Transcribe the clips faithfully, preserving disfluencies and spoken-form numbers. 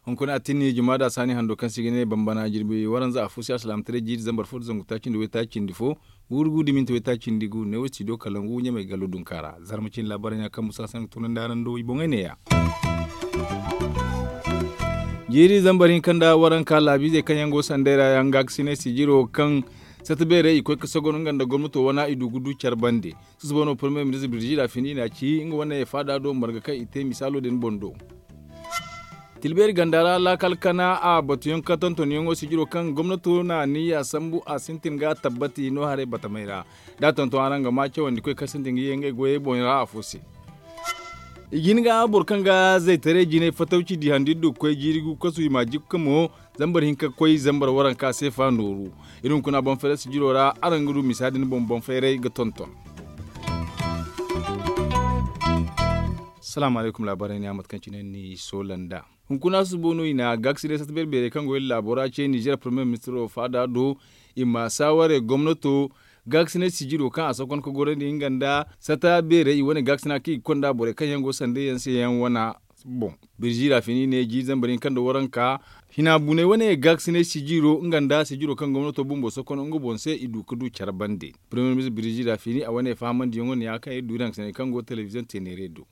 Hunkuna a tinni juma da saani hando kaŋ se i ga ne bambana jirbi waranza a fo se alsilaamataray jiiri zambar fo da zangu taaci nda waytaaci cindi fo, wurgu da minti waytaaci cindi gu ne wo studio kalangu ɲamay gallo dunka ra. Zarma cine laabaarey no ya kaŋ musa sanni ga tunandi araŋ do i boŋey ne ya. Jiiri zambar hinka nda waranka laabiizey kaŋ yaŋ go sanday ra yaŋ gaakasinay sijiro kaŋ sata beerey i koy ga sogon nga nda gomnato wana i du ga du care bande. Susubo no premier ministre birjida fini i n'a ci nga wane faada do marga kaŋ i te misaalo din boŋ do. Tilbeeri ganda ra laakal kana a batuyaŋ ka tontonyaŋo sijiro kaŋ gomnato na niya sambu a sintin ga tabbati no haray batamay ra. Da a tonton araŋ ga ma cawandikoy kaŋ sintin ga ye ngey goyey boŋ ra afo se. I jin ga boro kaŋ ga zaytaray jinay fatawci di handi du ga koy jiiri gu kasu i ma jikka mo zambar hinka ga koy zambar waranka seefa nooru. Iri hunkuna boŋ fayray sijiro ra araŋ ga du misa din boŋ boŋ fayray ga tonton. Salaamu alaykum laabaarey ne a mate kaŋ cine ni soola nd'a. Hunkuna susubo no i na gaakasinay sata beeri beerey kaŋ go iri laabo ra ce nizeer premier ministiro faada do i ma saawarey gomnato gaakasinay sijiro kaŋ a sokon ga gorandi nga nda sata beerey i wane gaakasina kaŋ i ga konda borey kaŋ yaŋ go sanday yaŋ se yaŋ wana. Boŋ birji ra fini ne jiiri zambar hinka nda waranka hina buney wane gaakasinay sijiro nga nda sijiro kaŋ gomnato bumbo sokon nga boŋ se i du ga du care bande. Premier ministre birji ra fini a wane fahamandiyaŋo ne ya kaŋ iri du iri hangasinay kaŋ go telebiziyoŋ teeneere do.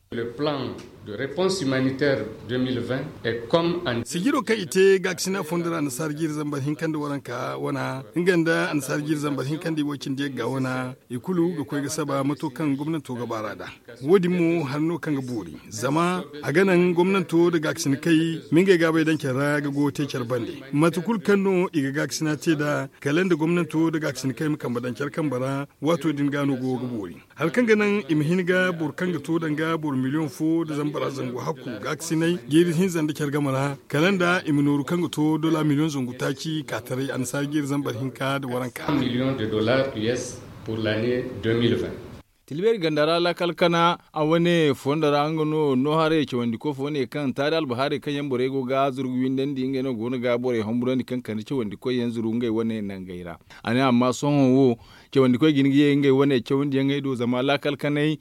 Sijiro kaŋ i te gaakasina fondo ra annasaara jiiri zambar hinka nda waranka wana nga nda annasaara jiiri zambar hinka nda i woy cindi yagga wana i kulu ga koy ga saba mato kaŋ gomnanto ga baara nd'a. Wo- din mo hari no kaŋ ga boori zama a ga naŋ gomnanto nda gaakasinakey ma ngey gaabey daŋ care ra ga goyo te care bande. Mate kulu kaŋ no i ga gaakasina te nd'a kala nda gomnanto nda gaakasinakey ma kambe daŋ care kambe ra. Waato din ga no goyo ga boori hari kaŋ ga naŋ i ma hin ga boro kaŋ ga to danga boro miliyoŋ fo nda zambar zangu hakku gaakasinay jiiri hinza nda care game ra kala nda i ma nooru kaŋ ga to dola miliyoŋ zangu taaci ka taray annasaara jiiri zambar hinka nda waranka. Tilbeeri ganda ra laakal kana a wane fondo ra nga no no haray cawandiko fo ne kaŋ taari albahaarey kaŋ yaŋ borey go ga zuru ga windandi ngey no go no ga borey homburandi kaŋ kande cawandikoy yaŋ zuru ngey wane nangey ra. A ne amma sohõ wo cawandikoy ga hin ga ye ngey wane cawandiyaŋey do zama laakal kanay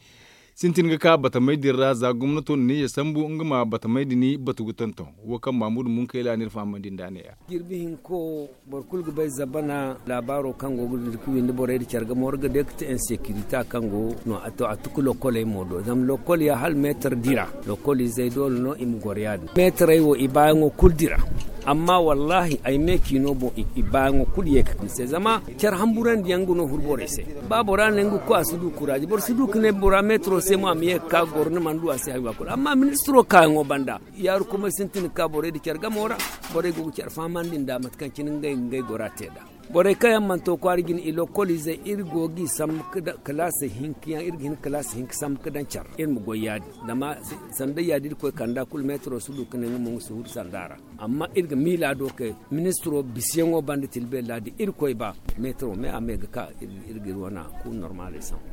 sintin ga ka batamey din ra za gomnato na niya sambu nga ma batamey din batu ga tonton. Wo kaŋ mamudu munkayla no iri fahamandi nd'a ne- ya. Jirbi hinko boro kulu ga bay zabana laabaaro kaŋ go ga dira ga windi borey nda care game war ga day ga te insekirita kaŋ go no a to a tuku lokkoley mo do zama lokkol ya hala meetar dira. Lokkol izey doole no i ma goro ya- din meetarey wo i baayaŋo kulu dira. Amma wallaahi ay me ciino boŋ i baayaŋo kulu ye ga kande se zama care hamburandiyaŋ ga no huru borey se. Ba bora ne nga ga koy a si du kuraaji boro si du ga ne bora meetaro se mo a ma ye ga ka ga goro ni mana du a se hari waakulu amma ministiro kaayaŋo banda. Yaaru kumay sintin ga ka borey nda care gamo ra. Borey go ga care fahamandi nd'a mate kaŋ cine ngey ga ngey gora te nd'a. Borey kaŋ yaŋ mana to kwaara jine i lokkol izey iri go g'i sambu kalaasey hinka yaŋ iri ga hin kalaasey hinka sambu ga daŋ care iri ma goy ya- din. Zama sanda ya- din iri koy kanda kulu meetaro si du ga ne nga mo nga si huru sanda ra. Amma iri ga miila do kay ministiro bisiyaŋo banda tilbeeri ra da iri koy ba meetaro me a me ga ka iri ga iri wana kulu normaley sambu.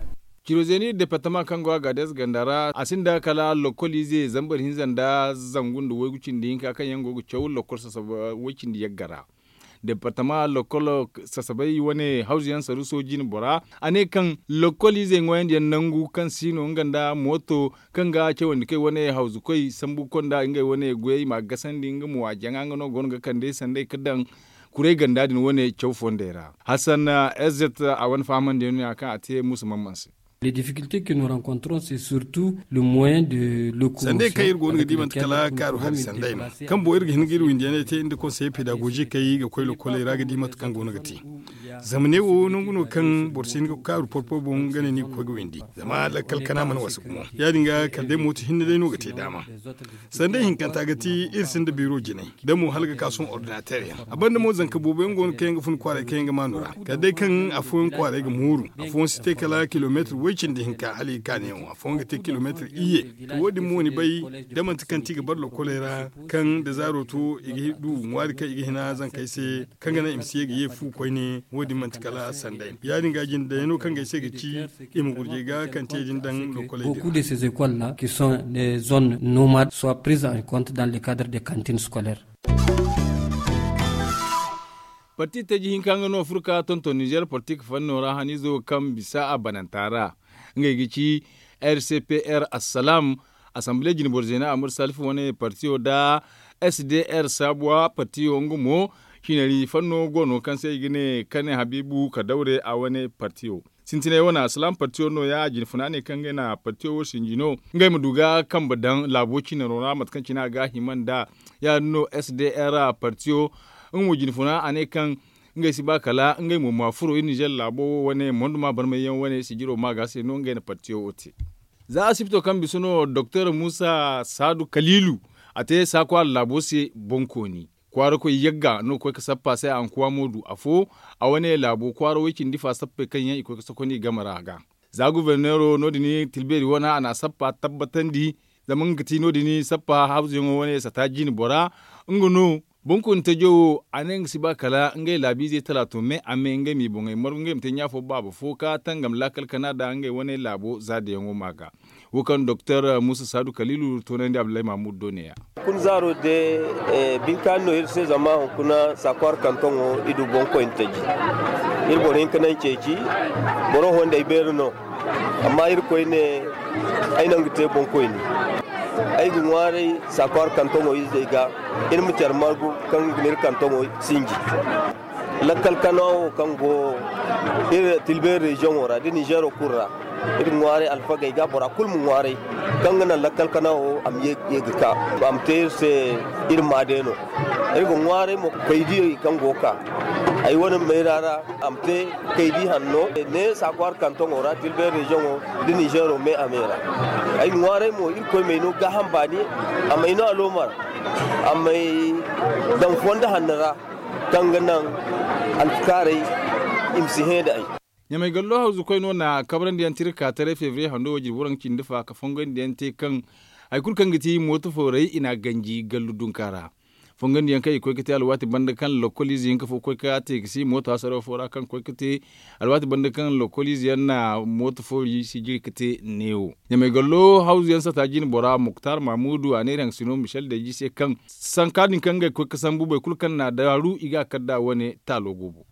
Ciro zeeni departama kaŋ go a gaades ganda ra a sinda kala lokkol ize zambar hinza nda zangu nda waygu cindi hinka kaŋ yaŋ go ga caw lokkol sasaba way cindi yagga ra. Departama lokkol sasabay wane hawzu yaŋ saruso jine bora a ne kaŋ lokkol izey ŋwaayandiyaŋ nangu kaŋ si no nga nda mooto kaŋ ga cawandi kay wane hawzu koy sambu konda ngey wane goyey ma gasandi nga mo a jaŋa nga no go no ga kande sanday ga daŋ kuray ganda din wane caw fondey ra. Hassan erzet a wane fahamandiyaŋ no ya kaŋ a te musa mamman se. Sanday kaŋ iri go no ga di manti kala kaaru hari sanday no kaŋ boŋ iri ga hin ga iri windiyaney te nda konseye pedagozi kaŋ i ga koy lokoley ra ga di mate kaŋ go no ga te. Zama ne wo nangu no kaŋ boro si hin ga kaaru porpo boŋ ga ne ni ga koy ga windi zama lakkal kana mana wasa gumo ya- din ga kala day mooto hinne day no ga te daama. Sanday hinkanta ga ti iri sinda biro jinay da mo hala ga ka sohõ ordinater yaŋ a banda mo zanka boobo yaŋ go no kaŋ yaŋ ga fun kwaaray kaŋ yaŋ ga maanu ra kala day kaŋ afooyaŋ kwaaray ga mooru. Afooyaŋ si te kala kilomeetir way cindi hinka hala i ga ka neewo afooyaŋ ga te kilomeetir iyye. To wo- din mo ni bay da manti kaŋ ti i ga bare lokoley ra kaŋ da zaaro to i ga du ŋwaari kaŋ i ga hina zankey se kaŋ ga naŋ i ma si ye ga ye fu koyne. Wo- din manti kala sanday no ya- din ga jinde dayano kaŋ ga ay se ga ci i ma gurjay ga kaŋ te din daŋ lokoley din ra. Beaucoup de ces écoles là qui sont des zones nomades soient prises en compte dans le cadre des cantines scolaires. Parti taji hinka nga no furka tonton nizer politik fanno ra hanizo kaŋ bisa a bananta ra. Ngey ga ci r c p r assalam, asambile jinboro zeena amur salifu wane partiyo nda s d r saabuwa partiyo nga mo, hinari fanno go no kaŋ se i ga ne kane habiibu ka dawre a wane partiyo. Sintinay wane assalam partiyo no- ya a jinfuna ne kaŋ ngey na partiyo wo sinji no. Ngey ma du ga kambe daŋ laabo cinaro ra mate kaŋ cine a ga a hima nda ya- din no s d r partiyo. Nga mo jinfuna a ne kaŋ ngey si ba kala ngey mo ma furo iri nizer laabo wo wane monduma barmayyaŋ wane sijiro ma ga se no ngey na partiyo wo te. Za asibito kaŋ bisa no doktor musa saadu kaliilu, a te saakwaara laabo se boŋkooni. Kwaarakoy yagga no ga koy ga sappa se a nkuwa mo du afo. A wane laabo kwaara way cindi fa sappey kaŋ yaŋ i koy ga sokonda i game ra ga. Za guberneero no- din tilbeeri wane a na a sappa tabbatandi. Zama nga ga ti no- din sappa hawzuyaŋo wane sata jiine bora. Nga no boŋkooni tajo wo a ne nga si ba kala ngey laabiizey talaato me a me ngey m'i boŋey margu ngey ma te ɲaafo baaba fo ka tangam laakal kana nda ngey wane laabo za dayaŋo ma ga. Wo kaŋ doktor musa saadu kaliilu toonandi abdullahi mahmud do ne-ya. Hunkuna zaaro de, bine kaani no iri se zama hunkuna saakwaara kantoŋo i du boŋkoyne taji. Iri boro hinka naŋ ceeci. Boro honday beeri no. Amma irkoy ne ay naŋ ga te boŋkoyne. Ay ga ŋwaaray saakwaara kantoŋo izey ga iri ma care margu kaŋ ga ne iri kantoŋo sinji. Lakkal kana wo kaŋ go iri tilbeeri reziyoŋo ra da nizeero kulu ra. Iri ga ŋwaaray alfagey ga bora kulu ma ŋwaaray kaŋ ga naŋ lakkal kana wo a ma ye ga ka a ma te iri se. Iri ma day no iri ga ŋwaaray mo kaydiyey kaŋ go ga ka ay wane mayra ra. A ma te kaydi hanno ne saakwaara kantoŋo ra tilbeeri reziyoŋo da nizeero me a me ra. Ay ga ŋwaaray mo irkoy may no gaaham baani a may no aloomar a may daŋ fondo hanno ra. Kaŋ ga naŋ alfakaaray i ma si hẽ nda ay. Ɲamay gallo hawzukoy no na kabrandi yaŋ tirka taray febriye hando wo jirbi waraŋ cindi fa ka fongoyandi yaŋ te kaŋ hari kulu kaŋ ga ti mooto fooray i n'a ganji gallu dunka ra. Fongoyandi yaŋ kaŋ i koy ga te alwaati banda kaŋ lokkoliize hinka fo koy ga te ga si mooto hasaro fo ra kaŋ koy ga te alwaati banda kaŋ lokkoliize yaŋ na mooto fo sijiri ga te neewo. Ɲamay gallo hawzu yaŋ sata jiine bora muktar mamudu a ne iri haŋ sino michel deji se kaŋ sanka din kaŋ ngey koy ga sambu boro kulu kaŋ na a daaru i ga a kar nd'a wane taalo go boŋ.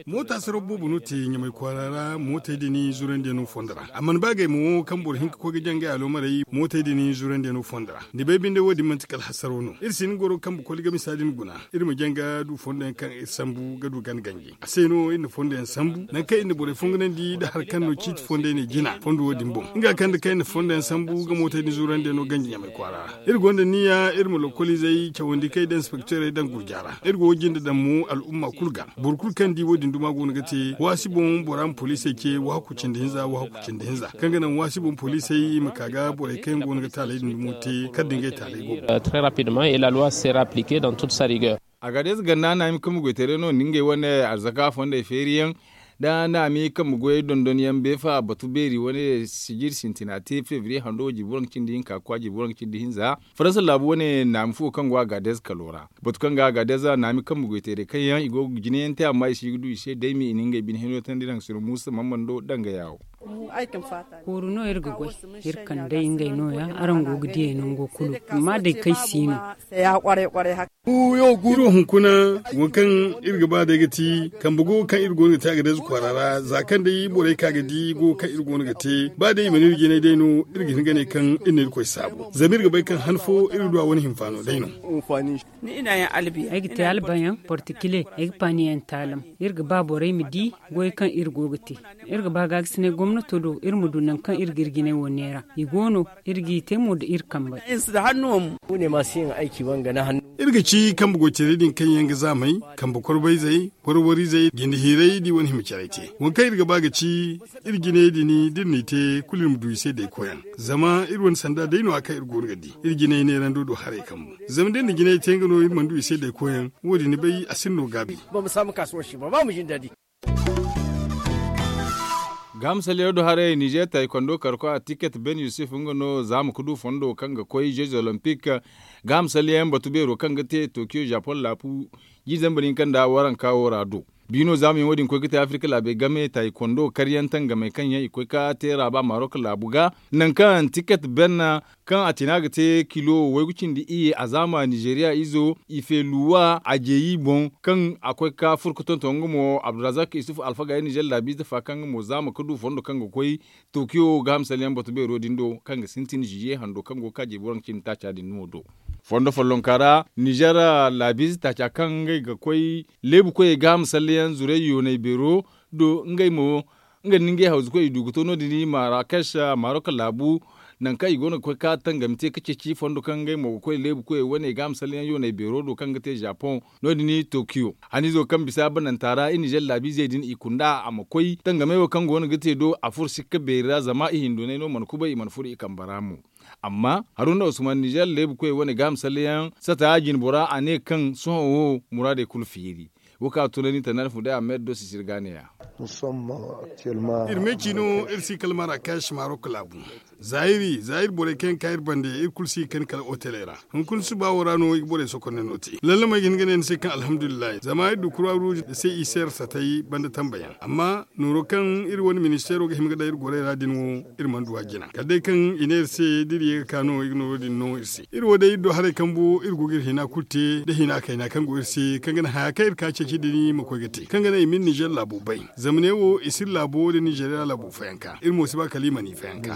Moota saraw boobo no te ɲamay kwaara ra mootey din zurandiyaŋo fondo ra a mana ba gay mo kaŋ boro hinka koy ga jaŋ ngey aloomarey mootey din zurandiyaŋo fondo ra. Ni bay binde wo- din manti kala hasaro no iri si hin goro kaŋ boro koy ga misa din guna. Iri ma jaŋ ga du fondo yaŋ kaŋ iri sambu ga du gana ganji a se no iri na fondo yaŋ sambu nangu kaŋ iri na borey fongunandi nda hari kaŋ no ciiti fondo yaŋ ne jina fondo wo- din boŋ nga kaŋ nda kaŋ iri na fondo yaŋ sambu ga mootey din zurandiyaŋo ganji ɲamay kwaara ra. Iri gonda niya iri ma lokoliizey cawandi kaŋ i daŋ inspekteerey daŋ gurja ra. Iri go ga jinde daŋ mo al'umma kulu ga boro kulu kaŋ di wo- din duma go no ga te waasi boŋ bora ma poliisey ce waaku cindi hinza waaku cindi hinza kaŋ ga naŋ waasi boŋ poliisey i ma ka ga borey kaŋ go no ga taaley din dumo te kala da ngey taaley go. Très rapidement et la loi sera appliquée dans toute sa rigueur. Agadeez ganda naami kambe goytaray no nda ngey wane arzaka fondey feeri yaŋ nda naami kambe goyey dondon yaŋ beefa batu beeri wane sijiri sintina te febriye hando jirbi waranka cindi hinka ga koy jirbi waranka cindi hinza. Faransa laabu wane naami fo kaŋ go agadeez kalo ra batu kaŋ ga agadeez naami kambe goytaray kaŋ yaŋ i go ga jina yaŋ te amma i si ga du i se daymi i na ngey bine hino tandi naŋ sino muusa mammando danga yaawo. Kooru no iri ga goy iri kand'ey ngey no- ya araŋ go ga diyey nango kulu amma day kaŋ ay si no. Iri wo hunkuna waŋ kaŋ iri ga ba day ga ti kambe go kaŋ iri go no ga te agadeez kwaara ra za kaŋ day borey ka ga di go kaŋ iri go no ga te ba day i mana iri jinay day no. Iri ga hin ga ne kaŋ iri na irkoy saabu zama iri ga bay kaŋ han fo iri du a wane hinfaano day no. Ay ga te albayaŋ portikile ay ga paaniyaŋ taalam. Iri ga ba borey ma di goy kaŋ iri go ga te. Iri ga ba gaagasinay gomnato do iri ma du nangu kaŋ iri ga iri jinay wo neera i go no. Iri g'i te mo nda iri kambey. Iri ga ci kambe goytaray din kaŋ yaŋ ga zaamay kambe korbayzey warwarizey jinde hiirey da i wane hima caray te waŋ kaŋ iri ga ba ga ci iri jinayey din da iri n'i te kulu iri ma du i se daykoyaŋ. Zama iri wane sanda day no- ya kaŋ iri go no ga di iri jinay neerando do haray kambu. Zama da iri na jinay te nga no iri mana du i se daykoyaŋ wo- din ni bay a sinda no gaabi. Gaaham salyaŋo do haray nizer taaykondo karkoy a tiket ben yusuf nga no zaama ga du fondo kaŋ ga koy jeux olympique. Gaaham salyaŋ batu beero kaŋ ga te tokiyo japon laabu jiiri zambar hinka nda waranka wo ra do. Biino zaamuyaŋo din koy ga te afirka laabey game taayikondo karyaŋ tangamey kaŋ yaŋ i koy ga te raaba marok laabu ga, nangu kaŋ tiket benne kaŋ a tina ga te kilo waygu cindi iyye a zaama nizeriya izo i feeluwa a jeeyi boŋ, kaŋ a koy ga furo ga tonton nga mo abdurazak isuf alfaga ya nizer laabiize fa kaŋ nga mo zaama ga du fondo kaŋ ga koy tokiyo gaaham salleyaŋ bato beero din do, kaŋ ga sintin ziye hando kaŋ go ga ka jeebi waranka cindi taaca din no do. Fondo follonka ra nizer laabiize taaca kaŋ ngey ga koy leebu koyey gaaham salleyaŋ zuray yoonay beero do ngey mo, nga nda ngey hawzu koy i du ga to no- din i marakash marok laabu, nangu kaŋ i go no ga koy ga tangami te ga ceeci fondo kaŋ ngey mo ga koy leebu koyey wane gaaham salleyaŋ yoonay beero do kaŋ ga te zapoŋ no- din tokiyo. Haniizo kaŋ bisa bananta ra i nizer laabiizey din i kunda a ma koy tangamey wo kaŋ go no ga te do a furo sikka beeri ra zama i hindoonay no mana kubay i mana furo i kambe ra mo. Amma haruna usman nizer leebu koyey wane gaaham salleyaŋ sata jinbora a ne kaŋ sohõ wo muraadey kulu feeri. Wo kaŋ a tunandi tana alfu day a ma yadda do sisir ga neeya. Iri me ci no iri si kala marakash marok laabu. Za iri za iri borey kaŋ yaŋ ga ka iri bande iri kulu si ga kani kala oteley ra. Hunkuna suba wo ra no i ga borey sokonne no te lallamey ga hin ga ne ni se kaŋ alhamdulillahi zama iri du kura ruuj da se i se iri satay banda tambayaŋ amma nooro kaŋ iri wane ministeero ga hima ga daŋ iri gorey ra din wo iri mana du a jina kala day kaŋ i ne iri se da iri ye ga ka no i ga nooro din no iri se. Iri wo day iri do haray kambu iri go ga iri hina kulu te da hina kayna kaŋ go iri se kaŋ ga naŋ haya kaŋ iri ka ceeci din ma koy ga te kaŋ ga naŋ i ma iri nizer laabo bay. Zama ne wo i si iri laabo da nizeriya laabo fayanka iri mo si ba kala i mana i fayanka.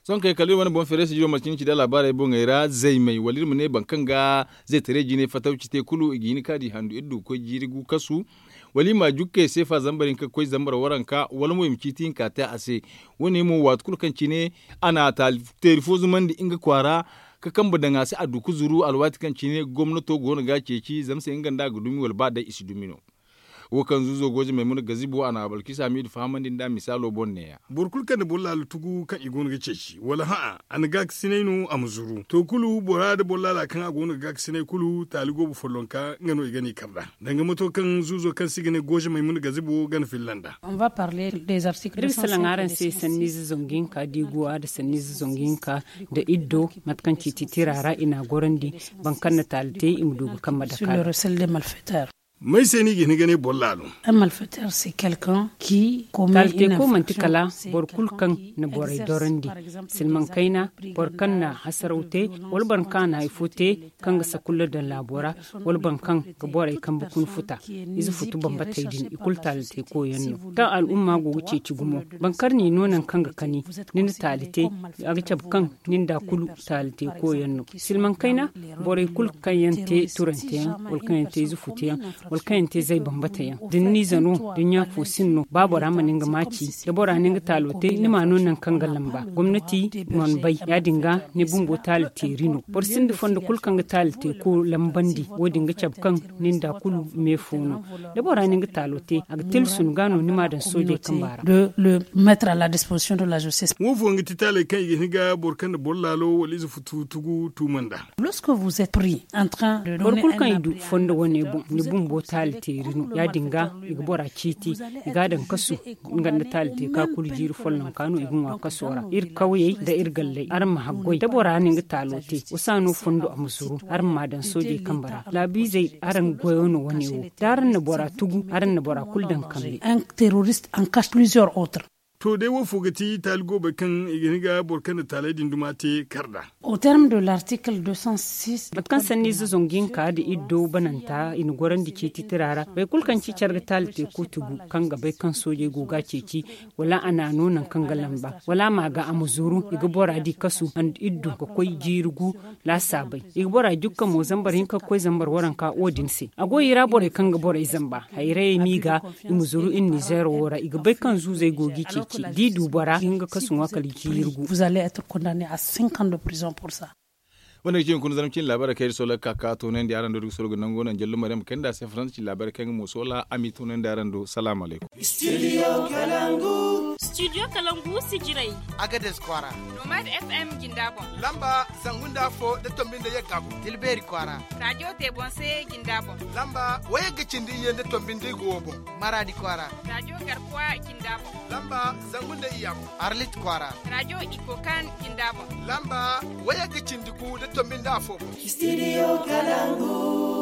Sohõ kay kala iri wane boŋ feere si jiro marcin ci da laabaarey boŋey ra zaymey wala iri ma ne boro kaŋ ga zaytaray jinay fatawci te kulu i ga hin ga ka di handu iri du ga koy jiiri gu kasu, wala i ma a jukkey seefa zambar hinka ga koy zambar waranka wala mo i ma ciiti hinka te a se. Wo- ne mo waati kulu kaŋ cine a na a taali teeri fo zumandi nga kwaara ga kambe daŋ a se a du ga zuru alwaati kaŋ cine gomnato go no ga a ceeci zama se nga nda a ga dumi wala ba day i si dumi no. Wo kaŋ zuuzo gooje maymuna gazibo a na balkisa hamidu fahamandi nda misaalo boŋ neeya. Boro kulu kaŋ na boro laalo tugu kaŋ i go no ga ceeci wala hã'a a na gaakasinay no a ma zuru to kulu bora nda boro laala kaŋ a go no ga gaakasinay kulu taali goobo follonka nga no i ga ne i kar nd'a. Danga mato kaŋ zuuzo kaŋ se i ga ne gooje maymuna gazibo gana filla nd'a. Iri ga salaŋ araŋ se sanniize zangu hinka diiguwa nda sanniize zangu hinka nda iddo mate kaŋ ciiti tira ra i n'a gorandi. Boro kaŋ na taali te i ma du ga kambe dake a ra. May se no i ga hin ga ne boro laalo? Taali te ko manti kala boro kulu kaŋ na borey dorandi. Silmaŋ kayna boro kaŋ na hasaraw te wala boro kaŋ a na hari fo te kaŋ ga sakulla daŋ laabo ra wala boro kaŋ ga borey kambe kuna futa. Ize futu bambatey din i kulu taali te ko yaŋ no kaŋ al'umma go ga ceeci gumo. Boro kaŋ ni no nangu kaŋ ga kani ni na taali te a ga cabe kaŋ ni nda kulu taali te ko yaŋ no. Silmaŋ kayna borey kulu kaŋ yaŋ te turante yaŋ wala kaŋ yaŋ te ize futu yaŋ wala kaŋ yaŋ te zay bambata yaŋ da ni n'ize no da ni ɲaafo sinno ba bora ma ni nga maaci da bora na nga taalo te ni m'a no nangu kaŋ ga lamba gomnati mana bay ya- din ga ni bumbo taali teeri no. Boro sinda fondo kulu kaŋ ga taali te ko lambandi wo- din ga cabe kaŋ ni nda kulu me fo no. Da bora na nga taalo te a ga tilasu ni ga no ni m'a daŋ soojey kamba ra. Wo fooyaŋ ga ti taaley kaŋ i ga hin ga boro kaŋ na boro laalo wala ize futu tugu tuuma nd'a. Boro kulu kaŋ i du fondo wane boŋ ni bumbo taali teeri no ya- din ga i ga bora ciiti i ga a daŋ kasu. Nga nda taali te ka kulu jiiri follonka no i ga ŋwa kaso ra iri kawyey nda iri galley araŋ ma haggoy da bora na nga taalo te wasa no fondo a ma zuru araŋ m'a daŋ soojey kambe ra laabiizey araŋ goyo no wane wo. Da araŋ na bora tugu araŋ na bora kulu daŋ kambe. To day wo fo ga ti taali goobey kaŋ i ga hin ga boro kaŋ na taaley din duma te kar nd'a. Mate kaŋ sanniize zangu hinka nda iddo bananta i na gorandi ciiti tira ra boro kulu kaŋ ci care ga taali te ko tugu kaŋ ga bay kaŋ soojey go ga a ceeci wala a n'a no nangu kaŋ ga lamba wala a m'a ga a ma zuru i ga bora di kasu nda iddo ga koy jiiri gu laasaabey. I ga bora jukka mo zambar hinka ga koy zambar waranka wo- din se a go i ra borey kaŋ ga borey zamba hayrayey m'i ga i ma zuru iri nizeero wo ra i ga bay kaŋ zuuzey go g'i ceeci d'i du bora i ga hin ga kasu ŋwa kala jiiri gu. Wane ga ci hunkuna zarma cine laabaarey kaŋ iri solo ga ka ka toonandi araŋ do da ga soro ga nango naŋ jallo maryam kayna nda a se faransa cine laabaarey kaŋ nga mo soola a m'i toonandi araŋ do salaamu alaykum. Studio kalangu sijirey, agades kwaara, nomad fm jinda boŋ, lamba zangu nda afo nda tombi nda yagga boŋ, tilbeeri kwaara, radio te boŋ se jinda boŋ, lamba wayagga cindi iyye nda tombi nda igo wo boŋ, maradi kwaara, radio garkuwa jinda boŋ, lamba zangu nda iyya boŋ, arlit kwaara, radio ikokan jinda boŋ, lamba wayagga cindi gu nda tombi nda afo boŋ. Studio kalangu.